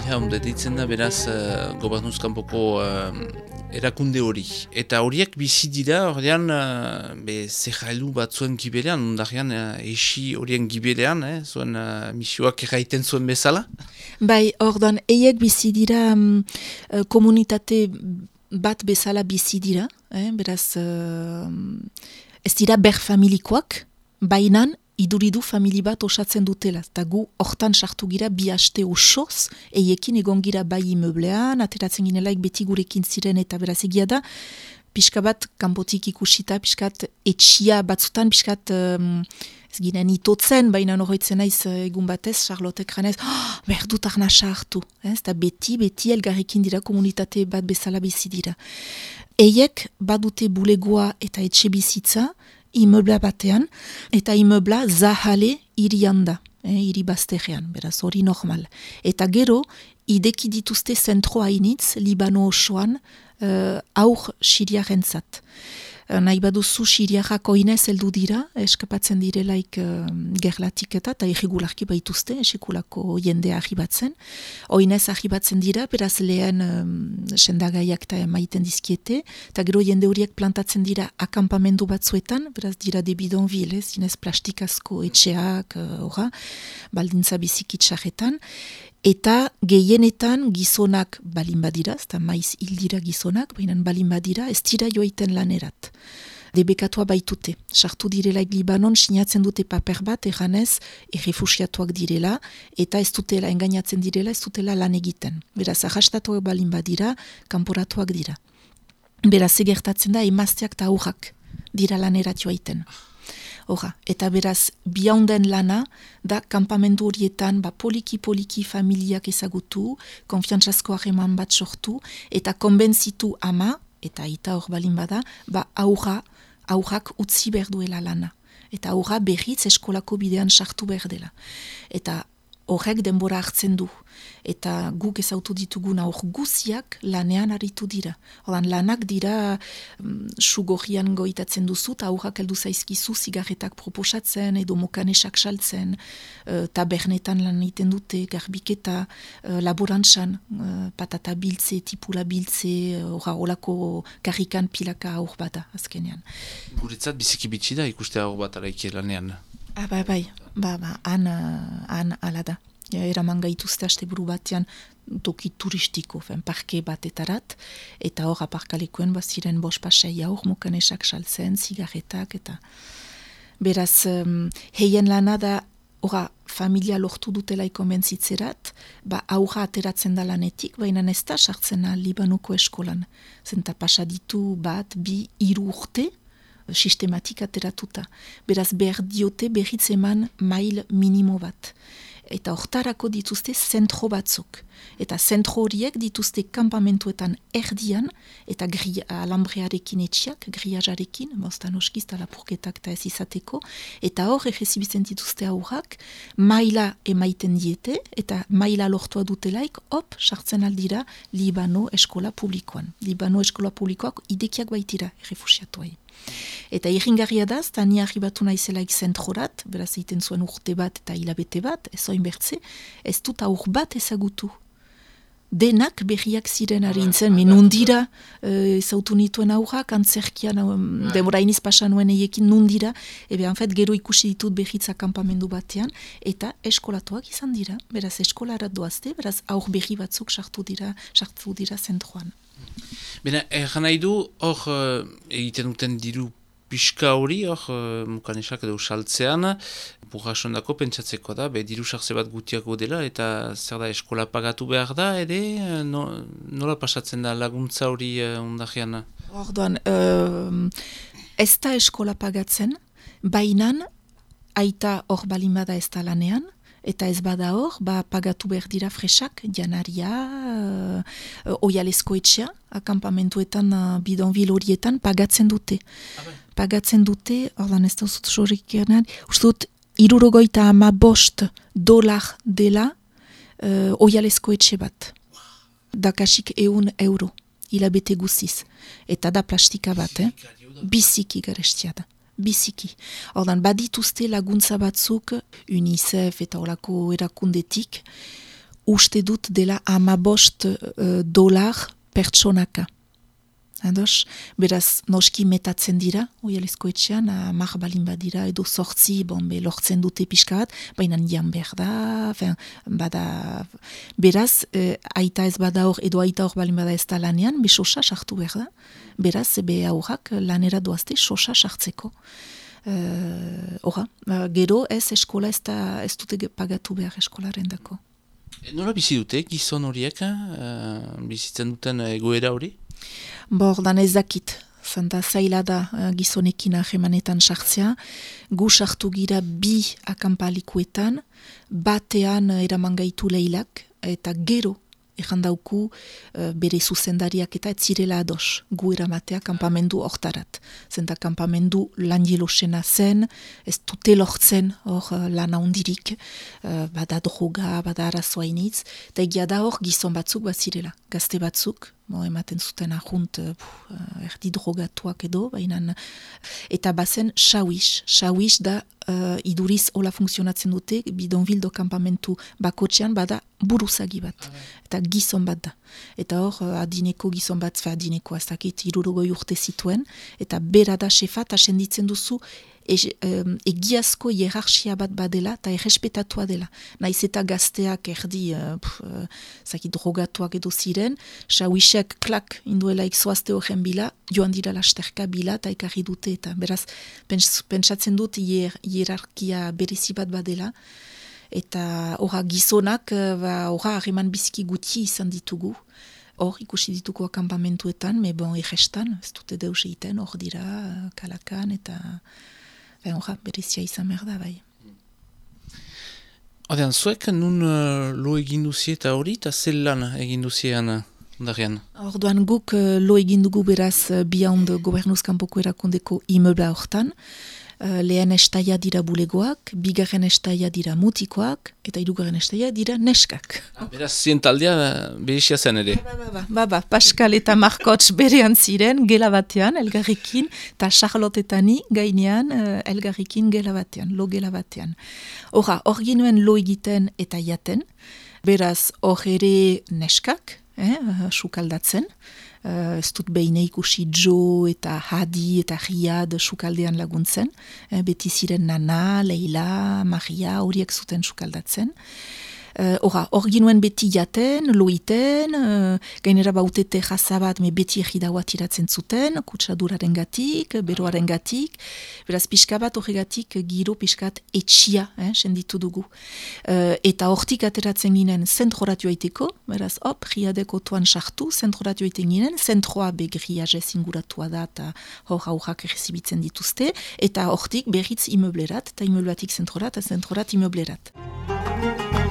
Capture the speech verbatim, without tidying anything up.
Ja, onde ditzen da beraz uh, gobernuzkanpoko uh, erakunde hori. Eta horiek bizi dira, horrean, uh, be, zerrailu bat zuen gibelean, ondarean uh, esi horien gibelean, eh, zuen uh, misioak erraiten zuen bezala? Bai, ordan, eiek bizi dira um, uh, komunitate bat bezala bizi dira, eh, beraz, uh, ez dira ber familikoak, bainan, iduridu famili bat osatzen dutela. Eta gu hortan sartu gira bi haste osoz, eiekin egon gira bai imeblean, ateratzen ginelaik beti gurekin ziren eta beraz egia da, pixka bat kanpotik ikusita, pixkat etxia batzutan, pixkat um, ez ginen itotzen, baina horretzen naiz egun batez, Charlotte ekranez, oh, behar dut arna sartu. Eta beti, beti elgarrekin dira komunitate bat bezala bizi dira. Eiek badute bulegoa eta etxe bizitza, imebla batean, eta imebla zahale irian da, eh, iri bazterrean, beraz hori normal. Eta gero, ideki dituzte zentro hainitz, Libano osoan, uh, aur siriarentzat. Uh, nahi baduzu siriarrak oinez heldu dira, eskapatzen direlaik uh, gerlatik eta, eta irregularki baituzte, esekulako jendea arribatzen. Oinez arribatzen dira, beraz lehen um, sendagaiak eta maiten dizkiete, eta gero jende horiek plantatzen dira akampamendu batzuetan, beraz dira de bidonville, zinez plastikazko etxeak, uh, baldintza bizikitsaretan, eta gehienetan gizonak balin badira, eta maiz hildira gizonak, baina balin badira, ez dira joaiten lanerat. Debekatua baitute. Sartu direlaik Libanon, sinatzen dute paper bat, erranez, errefusiatuak direla, eta ez dutela, engainatzen direla, ez dutela lan egiten. Beraz, arrastatuak balin badira, kanporatuak dira. Beraz, egertatzen da, emazteak eta aurrak dira lanerat joaiten. Hora, eta beraz, biaunden lana, da kanpamendu horietan, ba, poliki-poliki familiak ezagutu, konfiantzazko harreman bat sortu, eta konbentzitu ama, eta aita hor balin bada, ba, aurra, aurrak utzi behar duela lana. Eta aurra berriz eskolako bidean sartu behar dela. Eta horrek denbora hartzen du. Eta guk ezautu ditugun aur guziak lanean aritu dira. Hordan lanak dira um, sugorrian goitatzen duzu, eta aurrak heldu zaizkizu zigarretak proposatzen, edo mokanesak saltzen, uh, tabernetan lan egiten dute, garbiketa, uh, laborantzan, uh, patata biltze, tipula biltze, horra uh, olako karrikan pilaka aur bada, azkenean. Guretzat biziki bitxi da ikuste aur bat araiki lanean. Ah, bai, bai, ba, ba, han, han ala da. Ja, eraman gaituzte asteburu batean toki turistiko, fen, parke batetarat, eta hor aparkalekuen baziren bos pasei aur, mokanesak saltzen, zigarretak, eta beraz, um, heien lana da, horra, familia lortu dutelaiko mentzitzerat, ba, aurra ateratzen da lanetik, baina ez da sartzen Libanoko eskolan. Zenta pasaditu bat, bi, hiru urte, sistematik ateratuta. Beraz, behar diote berriz eman mail minimo bat. Eta hortarako dituzte zentro batzuk. Eta zentro horiek dituzte kanpamentuetan erdian, eta gri, alambrearekin etxiak, griajarekin, bostan oskiz, lapurketak eta ez izateko, eta hor egezibitzen dituzte aurrak, maila emaiten diete, eta maila lortua dutelaik, hop, sartzen aldira Libano eskola publikoan. Libano eskola publikoak idekiak baitira, errefusiatuai. Eta irringarria da, eta ni arribatu naizelaik zentrorat, beraz egiten zuen urte bat eta hilabete bat, ez oin bertze, ez dut aur bat ezagutu. Denak berriak ziren harintzen, minundira ezautu nituen aurrak, antzerkian, um, demora iniz pasan nuen eiekin nundira, ebe, anfet, gero ikusi ditut berriz akampamendu batean, eta eskolatuak izan dira, beraz eskolarat doazte, beraz aur berri batzuk sartu dira, sartu dira zentroan. Bena, erran nahi du, hor uh, egiten duten diru pixka hori, hor uh, mukanesak edo saltzean, burrasondako pentsatzeko da, be diru sartze bat gutiago dela, eta zer da eskola pagatu behar da, ere, no, nola pasatzen da laguntza hori uh, ondajean? Orduan, uh, ez da eskola pagatzen, bainan, aita hor balimada ez da lanean, eta ez bada hor, ba, pagatu behar dira fresak, janaria, uh, oialesko etxea, akampamentuetan, uh, bidonvil horietan, pagatzen dute. Abai. Pagatzen dute, ordan ez da uzut sorrik ernan, ustut, irurogoita ama bost dolar dela uh, oialesko etxe bat. Dakasik eun euro, hilabete guziz. Eta da plastika bat, eh? Biziki garestia da. Biziki. Ordan, badituzte laguntza batzuk, UNICEF eta olako erakundetik, uste dut dela amabost uh, dolar pertsonaka. Ados, beraz, noski metatzen dira, oialezko etxean, amak balin badira, edo sortzi, bon, be, lortzen dute pixka bat, baina jan behar da, fin, bada, beraz, eh, aita ez bada hor, edo aita hor balin bada ez da lanean, be sosa sartu behar da, beraz, be aurrak lanera doazte sosa sartzeko. Uh, Hora, gero ez eskola ez, da, ez dute pagatu behar eskolaren dako. Nola bizi dute, gizon horiek, uh, bizitzen duten egoera hori? Bordan ez dakit, zenta zaila da uh, gizonekin ahemanetan sartzea, gu sartu gira bi akampalikuetan, batean uh, eraman gaitu leilak, eta gero errandauku uh, bere zuzendariak eta ez zirela ados, gu eramatea kampamendu hortarat. Zenta kampamendu lan jelosena zen, ez dute lortzen hor uh, lan handirik, uh, bada droga, bada arazoainitz, eta egia da hor gizon batzuk bat zirela, gazte batzuk, Mo, ematen zuten ahunt, uh, erdi drogatuak edo, baina, eta bazen xauix, xauix da uh, iduriz hola funtzionatzen dute, bidonbildo kampamentu bakotxean bada buruzagi bat, eta gizon bat da. Eta hor, uh, adineko gizon bat, fe adineko azakit, irurogoi urte zituen, eta bera da xefa, eta senditzen duzu, E, um, egiazko hierarxia bat badela eta errespetatua dela. Naiz eta gazteak erdi uh, uh, zaki drogatuak edo ziren, xauixek klak induela ikzoazte horren bila, joan dira lasterka bila eta ekarri dute eta beraz pens, pentsatzen dut hier, hierarkia berezi bat badela eta horra gizonak horra harreman biziki guti izan ditugu. Hor ikusi dituko akampamentuetan, me bon errestan, ez dute deus egiten, hor dira kalakan eta Horra, berezia izan behar da, bai. Odean, zuek nun uh, lo egin duzie eta hori, eta zel lan egin duziean ondarean? Orduan guk uh, lo egin dugu beraz uh, bihaund gobernuzkanpoko erakundeko imeubla hortan. Uh, lehen estaia dira bulegoak, bigarren estaia dira mutikoak, eta hirugarren estaia dira neskak. Ah, beraz, zien taldea berezia zen ere. Ba, ba, ba, ba, ba, Pascal eta Markotx berean ziren, gela batean, elgarrekin, eta Charlotte eta ni gainean, uh, elgarrekin gela batean, lo gela batean. Horra, hor ginuen lo egiten eta jaten, beraz, hor ere neskak, eh, sukaldatzen, Uh, ez dut behin ikusi Jo eta Hadi eta Riad sukaldean laguntzen. Uh, beti ziren Nana, Leila, Maria, horiek zuten sukaldatzen. Hora, uh, hor ginuen beti jaten, loiten, uh, gainera bautete jazabat, me beti egidaua tiratzen zuten, kutsaduraren gatik, beroaren gatik, beraz pixka bat horregatik giro pixkat etxia, eh, senditu dugu. Uh, eta hortik ateratzen ginen zentroratio aiteko, beraz hop, riadeko tuan sartu, zentroratio aiten ginen, zentroa begriazez inguratua da, eta hor aurrak errezibitzen dituzte, eta hortik berriz imeublerat, eta imeublatik zentrorat, eta zentrorat imeublerat.